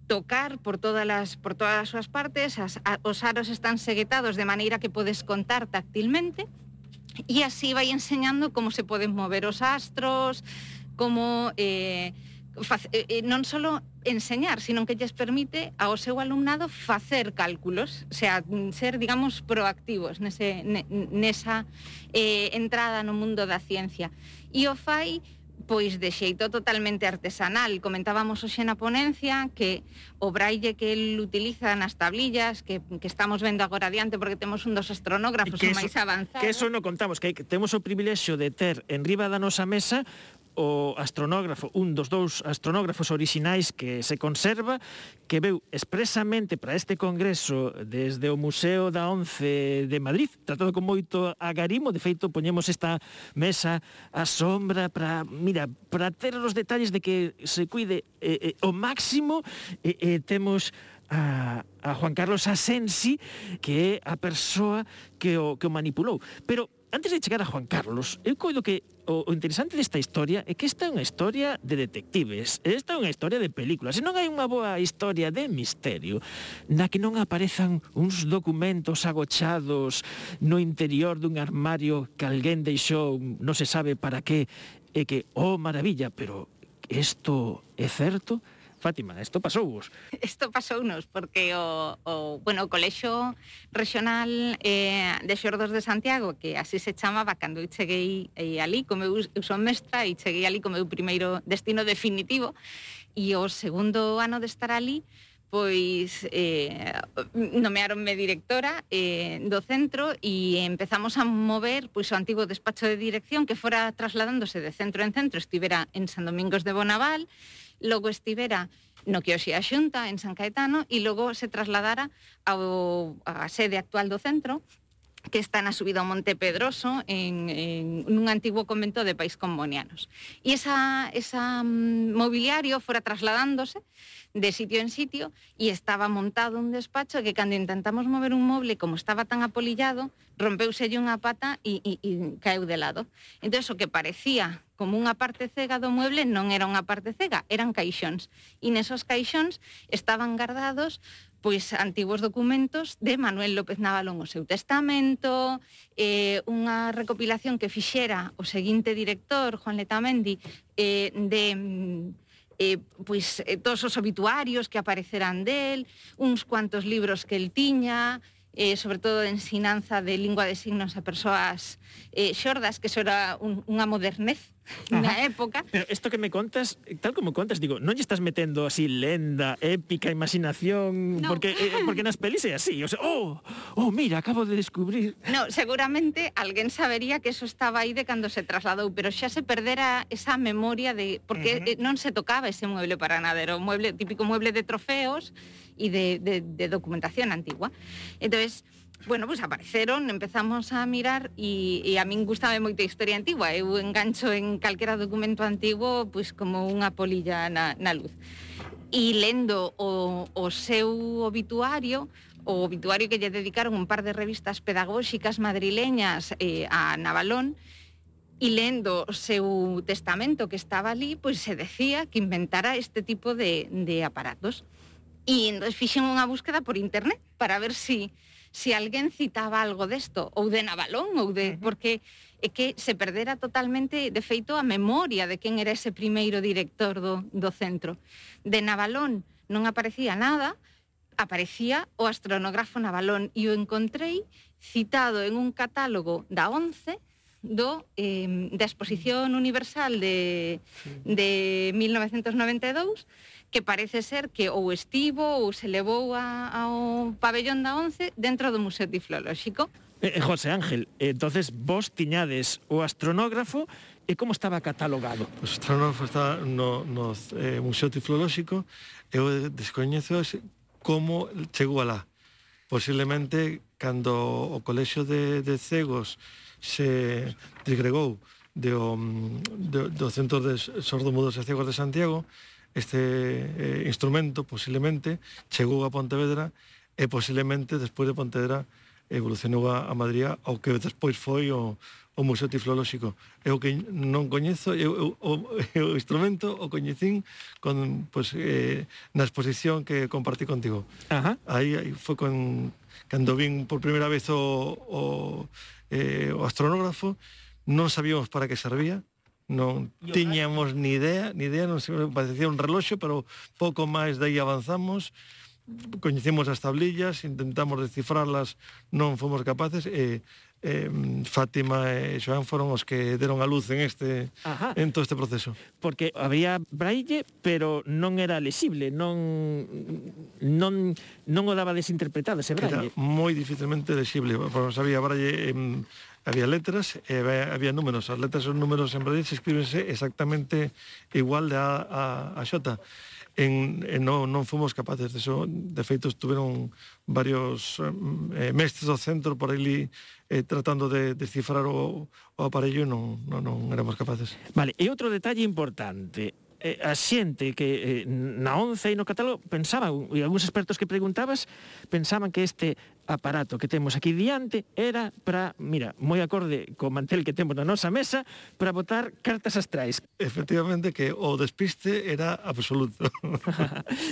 tocar por todas as por todas as súas partes, as, a, os aros están seguetados de maneira que podes contar táctilmente, e así vai enseñando como se poden mover os astros, como eh, Fac, eh, non só enseñar, sino que lles permite ao seu alumnado facer cálculos, o sea, ser, digamos, proactivos nese, nesa eh, entrada no mundo da ciencia. E o fai, pois, de xeito totalmente artesanal. Comentábamos hoxe na ponencia que o braille que el utiliza nas tablillas, que, que estamos vendo agora adiante porque temos un dos astronógrafos o máis avanzados. Que eso non contamos, que temos o privilexio de ter en riba da nosa mesa o astronógrafo, un dos dous astronógrafos orixinais que se conserva, que veu expresamente para este congreso desde o Museo da Once de Madrid, tratado con moito agarimo. De feito, poñemos esta mesa á sombra para, mira, para ter os detalles de que se cuide eh, eh, o máximo. Eh, eh, temos a, a Juan Carlos Asensi, que é a persoa que o, que o manipulou. Pero antes de chegar a Juan Carlos, eu coido que o, o interesante desta historia é que esta é unha historia de detectives, esta é unha historia de películas, e non hai unha boa historia de misterio na que non aparezan uns documentos agochados no interior dun armario que alguén deixou non se sabe para que, e que, oh, maravilla, pero isto é certo? Fátima, isto pasou-vos? Isto pasounos, porque o, o, bueno, o Colexio Regional eh, de Xordos de Santiago, que así se chamaba cando eu cheguei eh, ali, como eu, eu son mestra, e cheguei ali como meu primeiro destino definitivo, e o segundo ano de estar ali, pois eh, nomearonme directora eh, do centro, e empezamos a mover pois o antigo despacho de dirección que fora trasladándose de centro en centro. Estivera en San Domingos de Bonaval, logo estivera no que hoxe a Xunta, en San Caetano, e logo se trasladara ao, a sede actual do centro, que está na subida ao Monte Pedroso, en, en nun antigo convento de Pais Combonianos. E esa, esa um, mobiliario fora trasladándose de sitio en sitio e estaba montado un despacho que cando intentamos mover un moble, como estaba tan apolillado, rompeuselle unha pata e, e, e caeu de lado. Entón, o que parecía como unha parte cega do mueble non era unha parte cega, eran caixóns. E nesos caixóns estaban guardados pois antigos documentos de Manuel López Navalón, o seu testamento, eh, unha recopilación que fixera o seguinte director, Juan Letamendi, eh, de eh, pois, eh, todos os obituarios que apareceran del, uns cuantos libros que el tiña, eh, sobre todo de ensinanza de lingua de signos a persoas eh, xordas, que eso era un, unha modernez na época. Pero isto que me contas, tal como contas, digo, non lle estás metendo así lenda, épica, imaginación, no. porque eh, porque nas pelis é así, o sea, oh, oh, mira, acabo de descubrir. No, seguramente alguén sabería que eso estaba aí de cando se trasladou, pero xa se perdera esa memoria de porque uh-huh. non se tocaba ese mueble para nada, era un mueble típico mueble de trofeos e de, de, de documentación antigua. Entonces, bueno, pues apareceron, empezamos a mirar e, e a min gustaba moito a historia antigua. Eu engancho en calquera documento antigo pois como unha polilla na, na luz. E lendo o, o seu obituario, o obituario que lle dedicaron un par de revistas pedagóxicas madrileñas eh, a Navalón, e lendo o seu testamento que estaba ali, pois se decía que inventara este tipo de, de aparatos. E entón fixen unha búsqueda por internet para ver si se alguén citaba algo desto, ou de Navalón, ou de... porque é que se perdera totalmente, de feito, a memoria de quen era ese primeiro director do, do centro. De Navalón non aparecía nada, aparecía o astronógrafo Navalón, e o encontrei citado en un catálogo da ONCE, do, eh, da Exposición Universal de, de mil novecentos noventa e dous, que parece ser que ou estivo ou se levou a, ao pabellón da ONCE dentro do Museo Tiflolóxico. Eh, José Ángel, entonces vos tiñades o astronógrafo e como estaba catalogado? O astronógrafo está no, no eh, Museo Tiflolóxico. Eu descoñezo como chegou alá. Posiblemente cando o Colexio de, de Cegos se disgregou de, de, do Centro de Sordomudos e Cegos de Santiago, este eh, instrumento posiblemente chegou a Pontevedra e posiblemente despois de Pontevedra evolucionou a, a Madrid ao que despois foi o, o Museo Tiflolóxico. Eu que non coñezo, eu, eu, o, o instrumento o coñecín con, pues, eh, na exposición que compartí contigo. Ajá. Aí, aí foi con, cando vin por primeira vez o, o, eh, o astronógrafo, non sabíamos para que servía, non tiñamos ni idea, ni idea, non se parecía un reloxo, pero pouco máis de aí avanzamos, coñecemos as tablillas, intentamos descifrarlas, non fomos capaces, e eh, Fátima e Xoán foron os que deron a luz en este Ajá. en todo este proceso. Porque había braille, pero non era lexible, non non non o daba desinterpretado ese braille. Era moi dificilmente lexible, porque había braille en había letras e había números. As letras e os números en braille se escríbense exactamente igual de A a, a Xota. En, en non, non fomos capaces de eso. De feito, estuvieron varios eh, mestres do centro por ali eh, tratando de descifrar o, o aparello e non, non, non éramos capaces. Vale, e outro detalle importante. Eh, a xente que eh, na ONCE e no catálogo pensaban, e algúns expertos que preguntabas, pensaban que este aparato que temos aquí diante era para, mira, moi acorde co mantel que temos na nosa mesa, para botar cartas astrais. Efectivamente que o despiste era absoluto.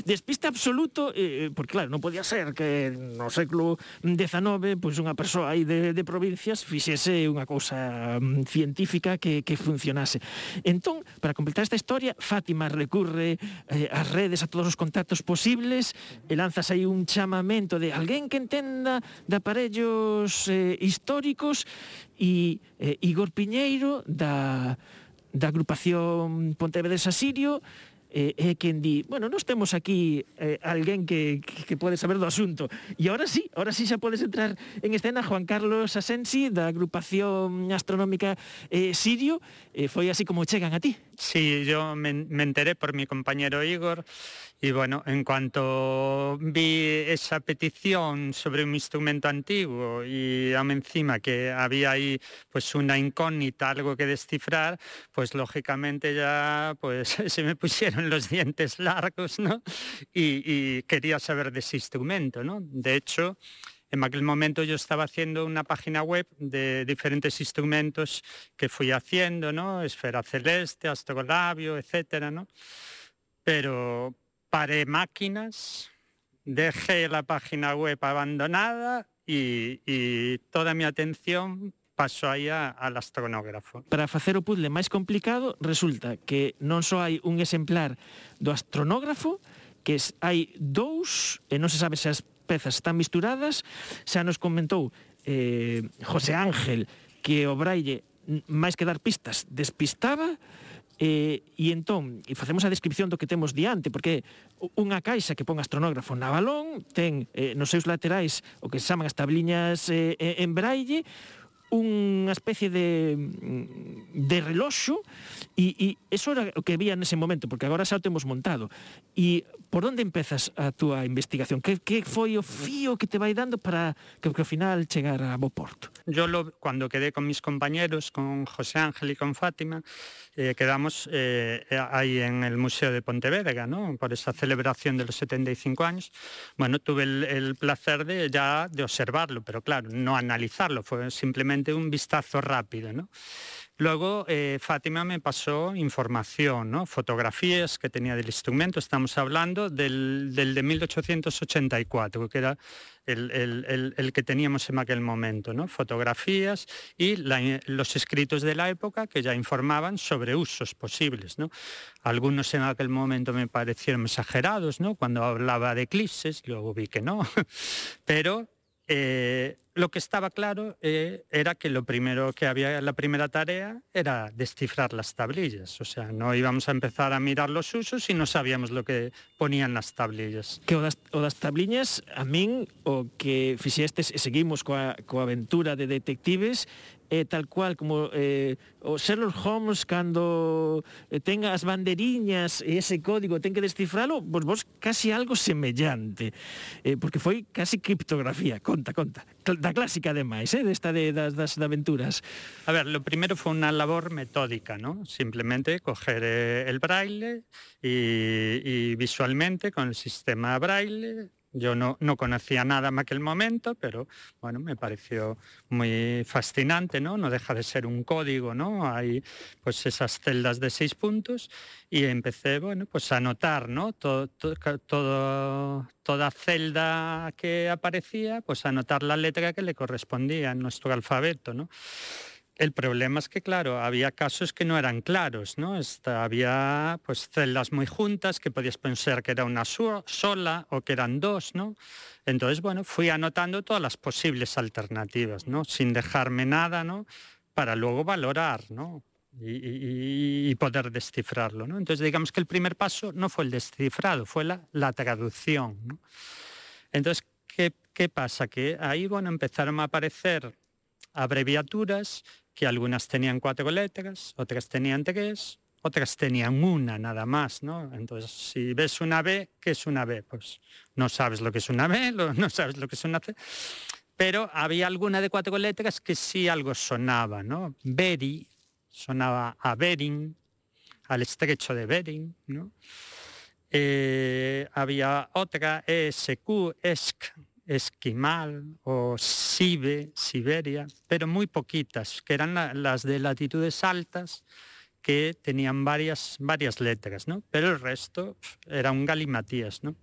Despiste absoluto, eh, porque claro, non podía ser que no século dezenove pois unha persoa aí de, de provincias fixese unha cousa um, científica que, que funcionase. Entón, para completar esta historia, Fátima recurre eh, ás redes, a todos os contactos posibles, e lanzas aí un chamamento de alguén que entenda de aparellos eh, históricos, e eh, Igor Piñeiro da, da agrupación Pontevedresa Sirio é eh, eh, quen di, bueno, nós temos aquí eh, alguén que, que, que pode saber do asunto, e ahora sí, ahora sí xa podes entrar en escena. Juan Carlos Asensi da agrupación astronómica eh, Sirio, eh, foi así como chegan a ti. Sí, yo me, me enteré por mi compañero Igor y bueno, en cuanto vi esa petición sobre un instrumento antiguo y aún encima que había ahí pues una incógnita, algo que descifrar, pues lógicamente ya pues se me pusieron los dientes largos, ¿no? Y, y quería saber de ese instrumento, ¿no? De hecho, en aquel momento yo estaba haciendo una página web de diferentes instrumentos que fui haciendo, ¿no? Esfera celeste, astrolabio, etcétera, ¿no? Pero paré máquinas, dejé la página web abandonada y, y toda mi atención pasou aí a, al astronógrafo. Para facer o puzzle máis complicado, resulta que non só hai un exemplar do astronógrafo, que hai dous, e non se sabe se as pezas están misturadas. Xa nos comentou eh, José Ángel que o braille, máis que dar pistas, despistaba, eh, e entón e facemos a descripción do que temos diante, porque unha caixa que pon astronógrafo na balón ten eh, nos seus laterais o que se chaman as tabliñas eh, en braille, unha especie de, de reloxo, e, e eso era o que había nese momento, porque agora xa o temos montado. E por onde empezas a túa investigación? Que, que foi o fío que te vai dando para que, que ao final chegar a bo porto? Yo lo, cuando quedé con mis compañeros, con José Ángel y con Fátima, eh, quedamos eh, ahí en el Museo de Pontevedra, ¿no? Por esa celebración de los setenta y cinco años. Bueno, tuve el, el placer de ya de observarlo, pero claro, no analizarlo, fue simplemente un vistazo rápido, ¿no? Luego eh, Fátima me pasó información, ¿no? Fotografías que tenía del instrumento. Estamos hablando del, del de mil ochocientos ochenta y cuatro, que era el, el, el, el que teníamos en aquel momento, ¿no? Fotografías y la, los escritos de la época que ya informaban sobre usos posibles, ¿no? Algunos en aquel momento me parecieron exagerados, ¿no? Cuando hablaba de eclipses, luego vi que no, pero Eh, lo que estaba claro eh, era que lo primero que había, la primera tarea era descifrar las tablillas. O sea, no íbamos a empezar a mirar los usos y no sabíamos lo que ponían las tablillas. Que o das, o das tabliñas, a min, o que fixestes e seguimos coa, coa aventura de detectives, é tal cual como eh, o Sherlock Holmes cando eh, ten as banderiñas e ese código ten que descifralo, pois vos casi algo semellante, eh, porque foi casi criptografía. Conta, conta. Da clásica ademais, eh, desta de, das, das de aventuras. A ver, lo primero fue una labor metódica, ¿no? Simplemente coger eh, el braille y, y visualmente con el sistema braille. Yo no, no conocía nada en aquel momento, pero bueno, me pareció muy fascinante, ¿no? No deja de ser un código, ¿no? Hay pues esas celdas de seis puntos y empecé, bueno, pues a anotar, ¿no? Todo, todo, todo, toda celda que aparecía, pues a anotar la letra que le correspondía en nuestro alfabeto, ¿no? El problema es que, claro, había casos que no eran claros, ¿no? Esta, había pues celdas muy juntas que podías pensar que era una so- sola o que eran dos, ¿no? Entonces, bueno, fui anotando todas las posibles alternativas, ¿no? Sin dejarme nada, ¿no? Para luego valorar, ¿no? Y, y, y poder descifrarlo, ¿no? Entonces, digamos que el primer paso no fue el descifrado, fue la, la traducción, ¿no? Entonces, ¿qué, qué pasa? Que ahí, bueno, empezaron a aparecer abreviaturas que algunas tenían cuatro letras, otras tenían tres, otras tenían una nada más, ¿no? Entonces, si ves una B, ¿qué es una B? Pues no sabes lo que es una B, no sabes lo que es una C, pero había alguna de cuatro letras que sí algo sonaba, ¿no? Beri, sonaba a Bering, al estrecho de Bering, ¿no? Eh, había otra, E S Q, E S C, Esquimal o Sibe, Siberia, pero muy poquitas, que eran la, las de latitudes altas, que tenían varias, varias letras, ¿no? Pero el resto era un galimatías, ¿no?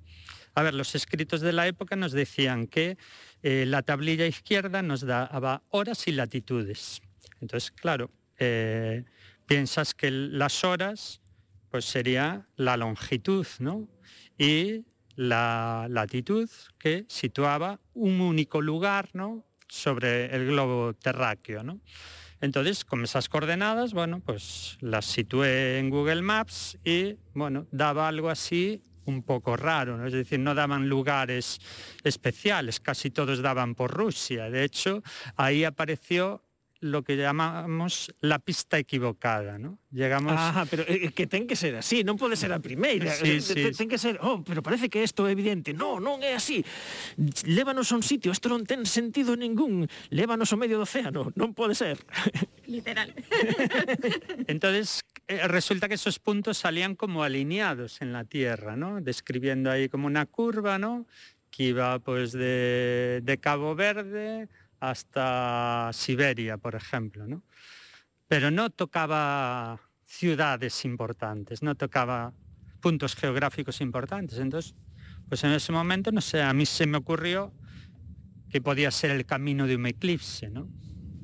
A ver, los escritos de la época nos decían que eh, la tablilla izquierda nos daba horas y latitudes. Entonces, claro, eh, piensas que las horas pues sería la longitud, ¿no? Y la latitud que situaba un único lugar, ¿no? Sobre el globo terráqueo, ¿no? Entonces, con esas coordenadas, bueno, pues las situé en Google Maps y, bueno, daba algo así un poco raro, ¿no? Es decir, no daban lugares especiales, casi todos daban por Rusia. De hecho, ahí apareció lo que llamamos la pista equivocada, ¿no? Llegamos... Ajá, pero é que ten que ser así, non pode ser a primeira. Sí, sí, ten, ten que ser, oh, pero parece que isto é evidente. Non, non é así. Lévanos a un sitio, isto non ten sentido ningún. Lévanos ao medio do océano, non pode ser. Literal. Entonces, eh, resulta que esos puntos salían como alineados en la Tierra, ¿no? Describiendo ahí como una curva, ¿no? Que iba pues de, de Cabo Verde hasta Siberia, por ejemplo, ¿no? Pero no tocaba ciudades importantes, no tocaba puntos geográficos importantes. Entonces, pues en ese momento, no sé, a mí se me ocurrió que podía ser el camino de un eclipse, ¿no?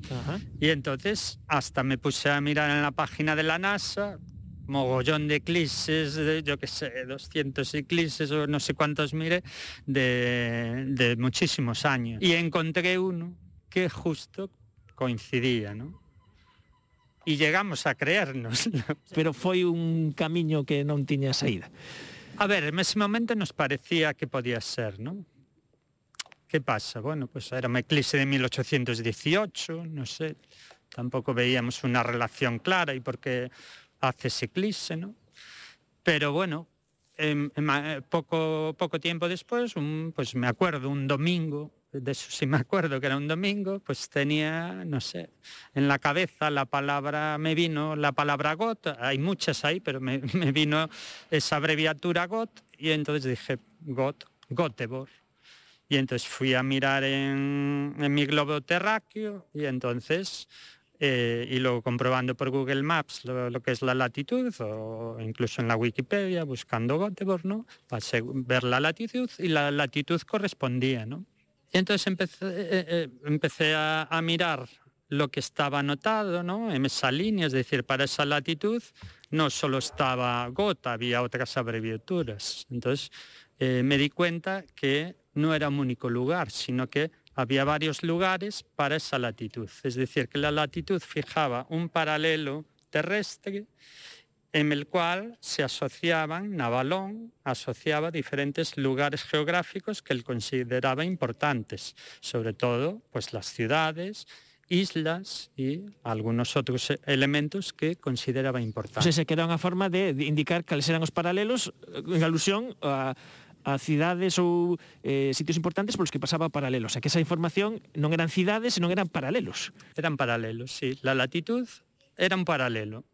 Ajá. Y entonces hasta me puse a mirar en la página de la NASA, mogollón de eclipses, de, yo qué sé, doscientos eclipses o no sé cuántos mire, de, de muchísimos años. Y encontré uno que justo coincidía, ¿no? Y llegamos a creernos. Pero foi un camiño que non tiña saída. A ver, en ese momento nos parecía que podía ser, ¿no? ¿Qué pasa? Bueno, pues era un eclipse de mil ochocientos dieciocho, no sé, tampoco veíamos una relación clara y por qué hace ese eclipse, ¿no? Pero bueno, eh, eh, poco, poco tiempo después, un, pues me acuerdo, un domingo, de eso sí me acuerdo que era un domingo, pues tenía, no sé, en la cabeza la palabra, me vino la palabra G O T, hay muchas ahí, pero me, me vino esa abreviatura G O T y entonces dije G O T, Göteborg. Y entonces fui a mirar en, en mi globo terráqueo y entonces, eh, y luego comprobando por Google Maps lo, lo que es la latitud, o incluso en la Wikipedia, buscando Göteborg, ¿no? Para ver la latitud y la latitud correspondía, ¿no? Y entonces empecé, eh, eh, empecé a, a mirar lo que estaba anotado, ¿no? En esa línea, es decir, para esa latitud no solo estaba G O T, había otras abreviaturas. Entonces eh, me di cuenta que no era un único lugar, sino que había varios lugares para esa latitud. Es decir, que la latitud fijaba un paralelo terrestre en el cual se asociaban, Navalón asociaba diferentes lugares geográficos que él consideraba importantes, sobre todo pues las ciudades, islas y algunos otros elementos que consideraba importantes. O sea, que era unha forma de indicar cales eran os paralelos en alusión a a cidades ou eh, sitios importantes polos que pasaba paralelos. O sea, que esa información non eran cidades, senón eran paralelos. Eran paralelos, sí. La latitud era un paralelo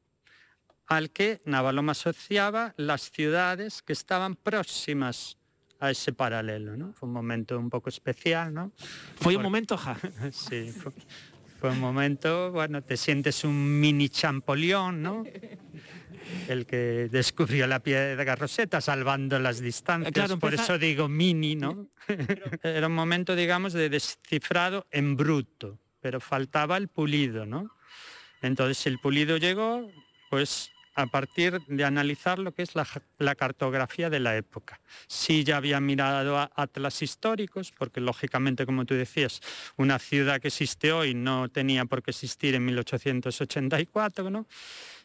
al que Navalón asociaba las ciudades que estaban próximas a ese paralelo, ¿no? Fue un momento un poco especial, ¿no? Foi un momento, ja. Sí, fue, fue un momento, bueno, te sientes un mini Champollion, ¿no? El que descubrió la piedra Rosetta salvando las distancias, claro, por empezar... eso digo mini, ¿no? Era un momento, digamos, de descifrado en bruto, pero faltaba el pulido, ¿no? Entonces el pulido llegó, pues a partir de analizar lo que es la, la cartografía de la época. Sí, ya había mirado a atlas históricos, porque lógicamente, como tú decías, una ciudad que existe hoy no tenía por qué existir en mil ochocientos ochenta y cuatro, ¿no?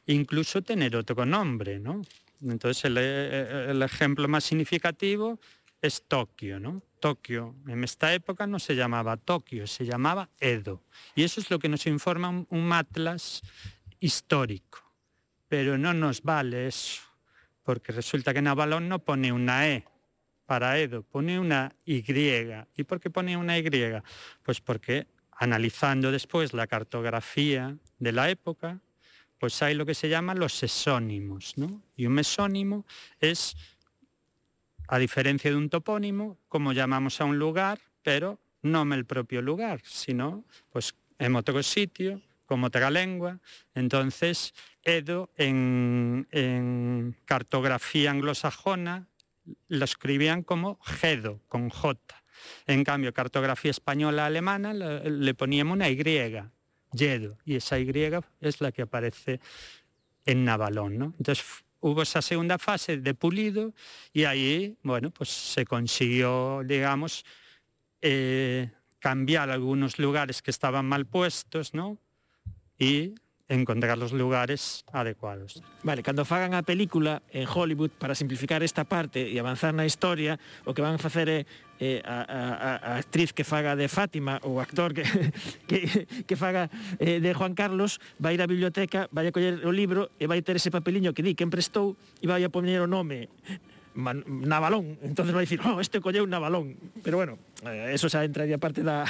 Incluso tener otro nombre, ¿no? Entonces el, el ejemplo más significativo es Tokio, ¿no? Tokio en esta época no se llamaba Tokio, se llamaba Edo. Y eso es lo que nos informa un, un atlas histórico. Pero no nos vale eso, porque resulta que Navalón no pone una E para Edo, pone una Y. ¿Y por qué pone una Y? Pues porque analizando después la cartografía de la época, pues hay lo que se llama los mesónimos, ¿no? Y un mesónimo es, a diferencia de un topónimo, como llamamos a un lugar, pero no en el propio lugar, sino pues en otro sitio, como otra lengua. Entonces, Edo en, en cartografía anglosajona lo escribían como Gedo, con J. En cambio, cartografía española alemana le, le poníamos una Y, Yedo, y esa Y es la que aparece en Navalón, ¿no? Entonces hubo esa segunda fase de pulido y ahí, bueno, pues se consiguió, digamos, eh, cambiar algunos lugares que estaban mal puestos, ¿no? Y encontrar los lugares adecuados. Vale, cando fagan a película en Hollywood, para simplificar esta parte e avanzar na historia, o que van a facer é eh, a, a, a actriz que faga de Fátima, ou o actor que, que, que faga eh, de Juan Carlos, vai ir á biblioteca, vai a coller o libro e vai ter ese papeliño que di que emprestou e vai a poner o nome Man, Navalón, entonces vai dicir, oh, este colleu Navalón, pero bueno, eh, eso xa entraría parte da,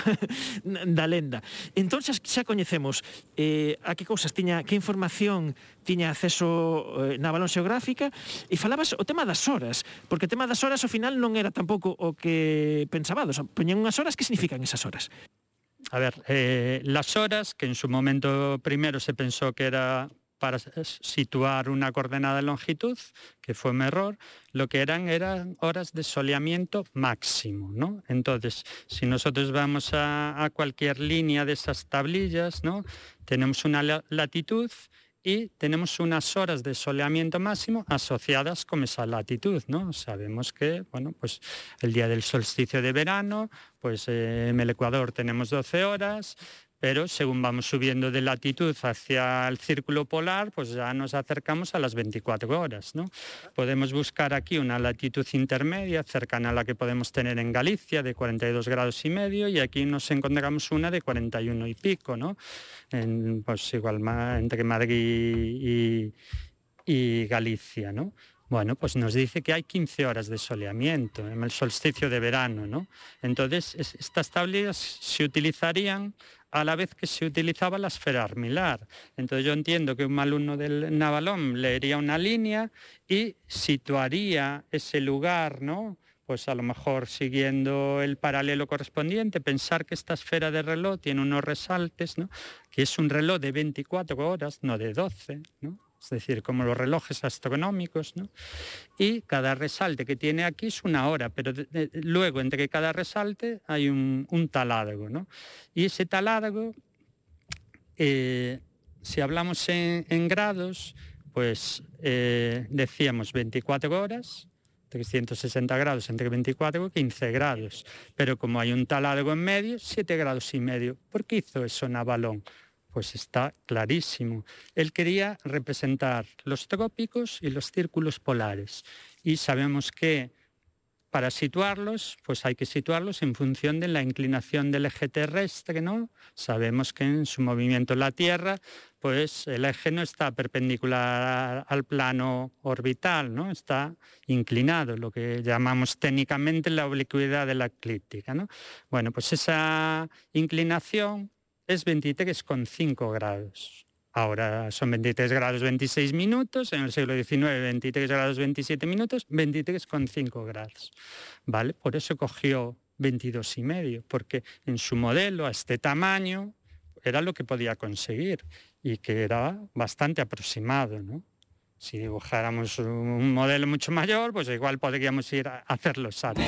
da lenda. Entón xa, xa coñecemos eh, a que cousas tiña, que información tiña acceso eh, Navalón xeográfica, e falabas o tema das horas, porque o tema das horas ao final non era tampouco o que pensabades, poñen unhas horas, que significan esas horas? A ver, eh, las horas, que en su momento primero se pensó que era para situar una coordenada de longitud, que fue un error, lo que eran eran horas de soleamiento máximo, ¿no? Entonces, si nosotros vamos a, a cualquier línea de esas tablillas, ¿no? Tenemos una latitud y tenemos unas horas de soleamiento máximo asociadas con esa latitud, ¿no? Sabemos que, bueno, pues el día del solsticio de verano, pues eh, en el Ecuador tenemos doce horas, pero según vamos subiendo de latitud hacia el círculo polar, pues ya nos acercamos a las veinticuatro horas, ¿no? Podemos buscar aquí una latitud intermedia cercana a la que podemos tener en Galicia, de cuarenta y dos grados y medio, y aquí nos encontramos una de cuarenta y uno y pico, ¿no? En, pues igual entre Madrid y, y Galicia, ¿no? Bueno, pues nos dice que hay quince horas de soleamiento en el solsticio de verano, ¿no? Entonces, es, estas tablillas se utilizarían a la vez que se utilizaba la esfera armilar. Entonces yo entiendo que un alumno del Navalón leería una línea y situaría ese lugar, ¿no? Pues a lo mejor siguiendo el paralelo correspondiente, pensar que esta esfera de reloj tiene unos resaltes, ¿no? Que es un reloj de veinticuatro horas, no de doce, ¿no? Es decir, como los relojes astronómicos, ¿no? Y cada resalte que tiene aquí es una hora, pero de, de, luego entre cada resalte hay un, un taládago, ¿no? Y ese taládago, eh, si hablamos en, en grados, pues eh, decíamos veinticuatro horas, trescientos sesenta grados entre veinticuatro y quince grados, pero como hay un taládago en medio, siete grados y medio. ¿Por qué hizo eso Navalón? Pues está clarísimo. Él quería representar los trópicos y los círculos polares. Y sabemos que para situarlos, pues hay que situarlos en función de la inclinación del eje terrestre, ¿no? Sabemos que en su movimiento la Tierra, pues el eje no está perpendicular al plano orbital, ¿no? Está inclinado, lo que llamamos técnicamente la oblicuidad de la eclíptica, ¿no? Bueno, pues esa inclinación es veintitrés coma cinco grados. Ahora son veintitrés grados veintiséis minutos, en el siglo diecinueve veintitrés grados veintisiete minutos, veintitrés coma cinco grados. ¿Vale? Por eso cogió veintidós y medio, porque en su modelo a este tamaño era lo que podía conseguir y que era bastante aproximado, ¿no? Si dibujáramos un modelo mucho mayor, pues igual podríamos ir a hacer los saltos.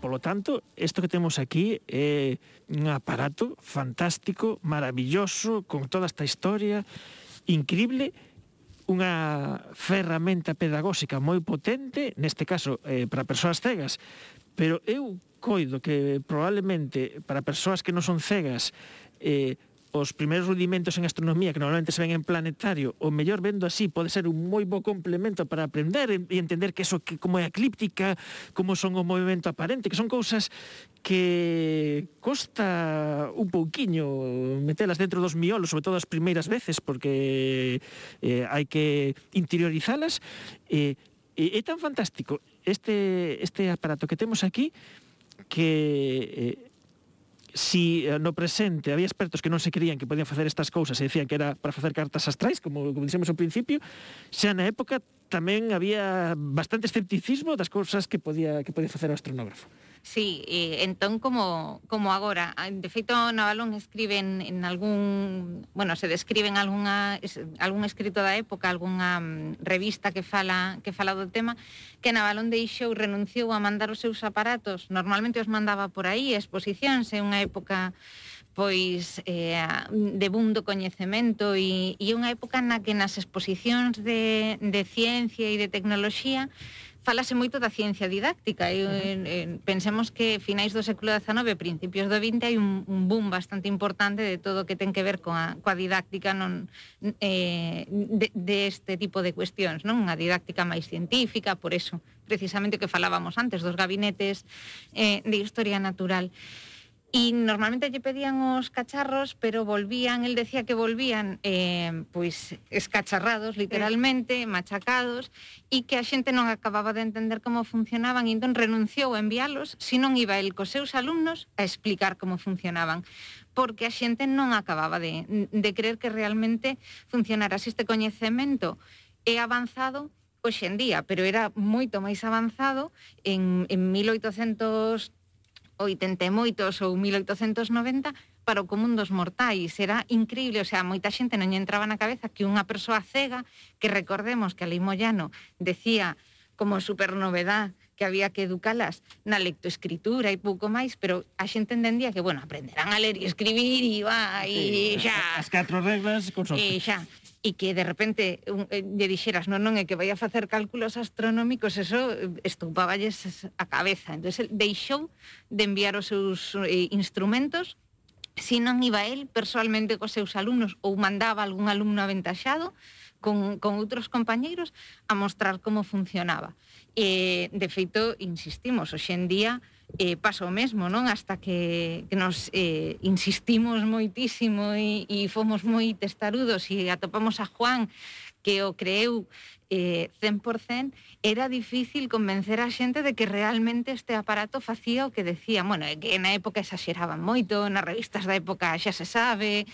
Polo tanto, isto que temos aquí é un aparato fantástico, maravilloso, con toda esta historia, increíble, unha ferramenta pedagóxica moi potente, neste caso eh, para persoas cegas, pero eu coido que probablemente para persoas que non son cegas, eh, os primeiros rudimentos en astronomía que normalmente se ven en planetario, o mellor vendo así pode ser un moi bo complemento para aprender e entender que eso, que como é a eclíptica, como son o movimento aparente, que son cousas que costa un pouquiño metelas dentro dos miolos, sobre todo as primeiras veces, porque eh, hai que interiorizalas, e eh, é tan fantástico este, este aparato que temos aquí que... Eh, si no presente había expertos que non se creían que podían facer estas cousas e decían que era para facer cartas astrais, como, como dixemos ao principio, xa na época tamén había bastante escepticismo das cousas que podía, que podía facer o astronógrafo. Sí, eh, entón como, como agora. De feito, Navalón escribe en, en algún... Bueno, se describe en algunha, es, algún escrito da época, algunha um, revista que fala, que fala do tema, que Navalón deixou, renunciou a mandar os seus aparatos. Normalmente os mandaba por aí, exposicións, en unha época pois eh, de boom do coñecemento e, e unha época na que nas exposicións de, de ciencia e de tecnoloxía falase moito da ciencia didáctica. E, en, en, pensemos que finais do século dezanove, principios do vinte, hai un, un boom bastante importante de todo o que ten que ver coa, coa didáctica non, eh, de, de este tipo de cuestións, non? Unha didáctica máis científica, por eso, precisamente o que falábamos antes, dos gabinetes eh, de historia natural. Y normalmente lle pedían os cacharros, pero volvían, él decía que volvían eh, pois escacharrados, literalmente, machacados, e que a xente non acababa de entender como funcionaban, e entón renunciou a enviálos, se non iba el cos seus alumnos a explicar como funcionaban, porque a xente non acababa de, de creer que realmente funcionara. Se este coñecemento é avanzado hoxe en día, pero era moito máis avanzado en, en mil oitocentos oitenta e moitos ou mil oitocentos noventa para o común dos mortais. Era increíble, o sea, moita xente non lle entraba na cabeza que unha persoa cega, que recordemos que a Lei Moyano decía como supernovedad que había que educalas na lectoescritura e pouco máis, pero a xente entendía que, bueno, aprenderán a ler e escribir e va, e sí, xa. As catro reglas con sorte. E xa. E que de repente un, eh, lle dixeras, non, non, é que vai a facer cálculos astronómicos, eso estoupáballes a cabeza. Entón, deixou de enviar os seus eh, instrumentos, se non iba el personalmente cos seus alumnos ou mandaba algún alumno aventaxado con, con outros compañeiros a mostrar como funcionaba. E, de feito, insistimos, hoxe en día eh, pasa o mesmo, non? Hasta que, que nos eh, insistimos moitísimo e, e fomos moi testarudos e atopamos a Juan, que o creeu eh, cen por cen, era difícil convencer a xente de que realmente este aparato facía o que decía. Bueno, é que na época exaxeraban moito, nas revistas da época xa se sabe,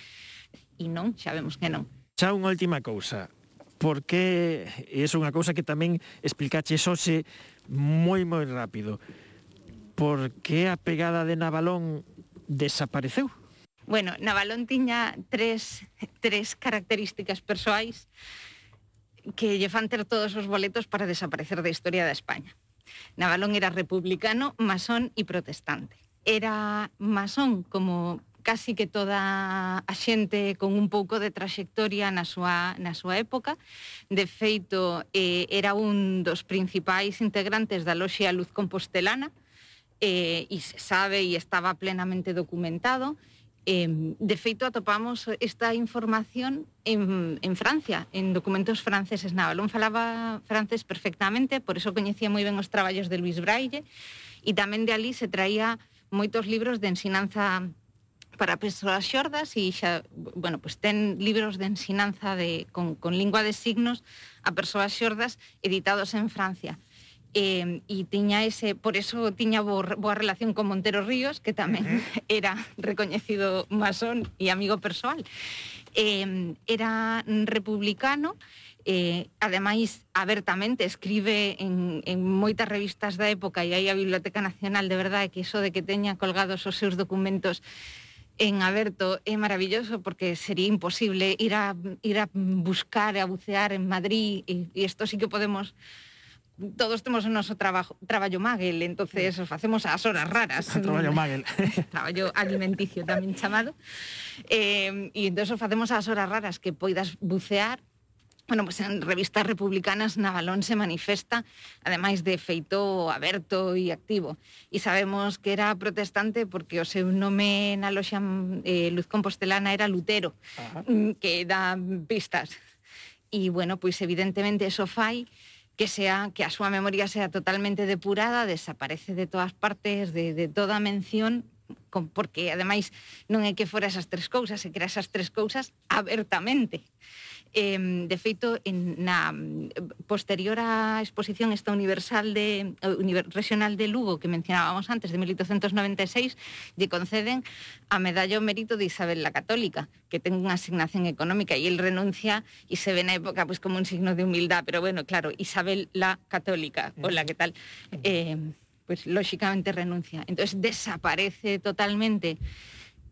e non, xa vemos que non. Xa unha última cousa, porque é unha cousa que tamén explicaches hoxe moi moi rápido. Por que a pegada de Navalón desapareceu? Bueno, Navalón tiña tres, tres características persoais que lle fan ter todos os boletos para desaparecer da historia de España. Navalón era republicano, masón e protestante. Era masón como casi que toda a xente con un pouco de traxectoria na súa, na súa época. De feito, eh, era un dos principais integrantes da loxia Luz Compostelana, eh, e se sabe e estaba plenamente documentado. Eh, de feito, atopamos esta información en, en Francia, en documentos franceses. Navalón falaba francés perfectamente, por eso coñecía moi ben os traballos de Luis Braille, e tamén de ali se traía moitos libros de ensinanza para persoas xordas, e xa, bueno, pues ten libros de ensinanza de, con, con lingua de signos a persoas xordas editados en Francia. Eh, e tiña ese, por eso tiña boa, boa relación con Montero Ríos, que tamén uh-huh. era recoñecido masón e amigo persoal. Eh, era republicano, eh, ademais abertamente escribe en, en moitas revistas da época, e aí a Biblioteca Nacional, de verdade, que iso de que teña colgados os seus documentos en aberto é maravilloso, porque sería imposible ir a, ir a buscar, a bucear en Madrid, e, e isto sí que podemos... Todos temos o noso trabajo, traballo maguel, entonces os facemos as horas raras. Traballo maguel. Traballo alimenticio tamén chamado. Eh, e entón os facemos as horas raras que poidas bucear. Bueno, pues en revistas republicanas Navalón se manifesta, ademais de feito aberto e activo. E sabemos que era protestante porque o seu nome na loxa eh, Luz Compostelana era Lutero, Ajá. que dá pistas. E, bueno, pois evidentemente eso fai que sea que a súa memoria sea totalmente depurada, desaparece de todas partes, de, de toda mención, con, porque ademais non é que fora esas tres cousas, é que era esas tres cousas abertamente. Eh, de feito, en, na posterior á exposición esta universal de univer, regional de Lugo que mencionábamos antes, de mil oitocentos noventa e seis, lle conceden a medalla ao mérito de Isabel la Católica, que ten unha asignación económica, e el renuncia e se ve na época pues, como un signo de humildad, pero bueno, claro, Isabel la Católica, hola, ¿qué tal? Eh, pues lógicamente renuncia. Entonces desaparece totalmente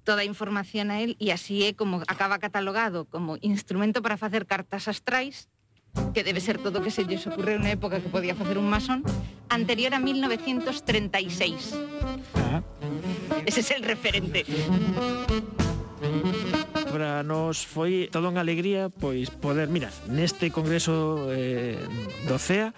toda a información a él, e así é como acaba catalogado como instrumento para facer cartas astrais, que debe ser todo o que se lles ocurreu na época que podía facer un masón, anterior a mil novecientos treinta e seis. Ah. Ese es el referente. Para nos foi toda unha alegría pois poder, mira, neste congreso eh, do C E A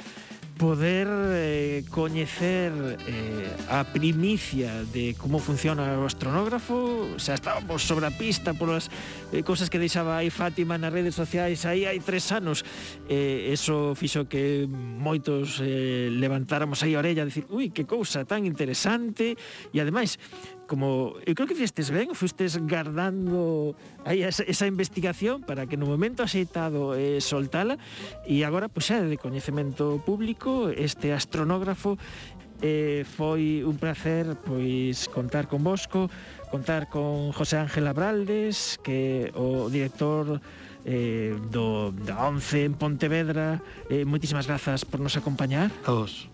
poder eh, coñecer eh, a primicia de como funciona o astronógrafo. Xa estábamos sobre a pista polas eh, cosas que deixaba aí Fátima nas redes sociais aí hai tres anos. Eh, eso fixo que moitos eh, levantáramos aí a orella a decir, ui, que cousa tan interesante. E ademais, como eu creo que fizestes ben, fustes guardando aí esa, esa investigación para que no momento axeitado eh, soltala, e agora, pois xa de coñecemento público, este astronógrafo. Eh, foi un placer pois contar con vosco, contar con José Ángel Abraldes, que o director eh, do, da ONCE en Pontevedra. Eh, moitísimas grazas por nos acompañar. A vos.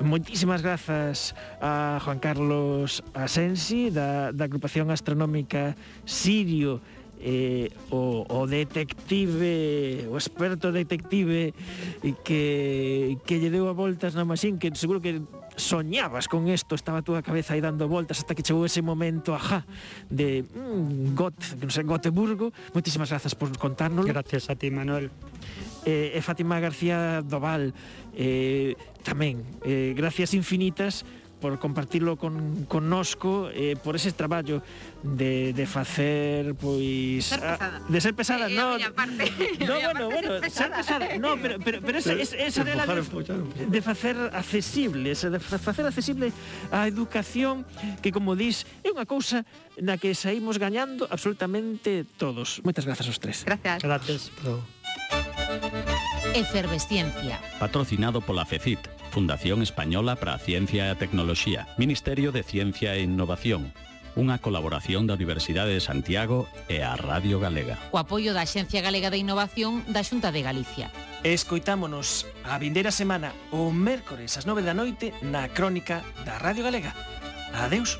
Moitísimas grazas a Juan Carlos Asensi, da, da agrupación astronómica Sirio, eh, o, o detective, o experto detective que, que lle deu a voltas na machín, que seguro que soñabas con esto, estaba a túa cabeza aí dando voltas hasta que chegou ese momento, ajá, de mm, Got, non sei, Gotemburgo. Moitísimas grazas por contárnoslo. Gracias a ti, Manuel. Eh, e Fátima García Doval, eh, tamén, eh, gracias infinitas por compartirlo con connosco, eh, por ese traballo de, de facer, pois... Ser pesada. A, de ser pesada, eh, no... A parte, no, bueno, bueno, ser pesada, no, pero, pero, pero esa, esa, esa de, la de, de facer accesible, esa de facer accesible a educación, que, como dis, é unha cousa na que saímos gañando absolutamente todos. Moitas grazas aos tres. Gracias. Gracias. Efervesciencia. Patrocinado pola FECIT, Fundación Española para a Ciencia e a Tecnoloxía, Ministerio de Ciencia e Innovación, unha colaboración da Universidade de Santiago e a Radio Galega. O apoio da Axencia Galega de Innovación da Xunta de Galicia. Escoitámonos a vindeira semana o mércores ás nove da noite na Crónica da Radio Galega. Adeus.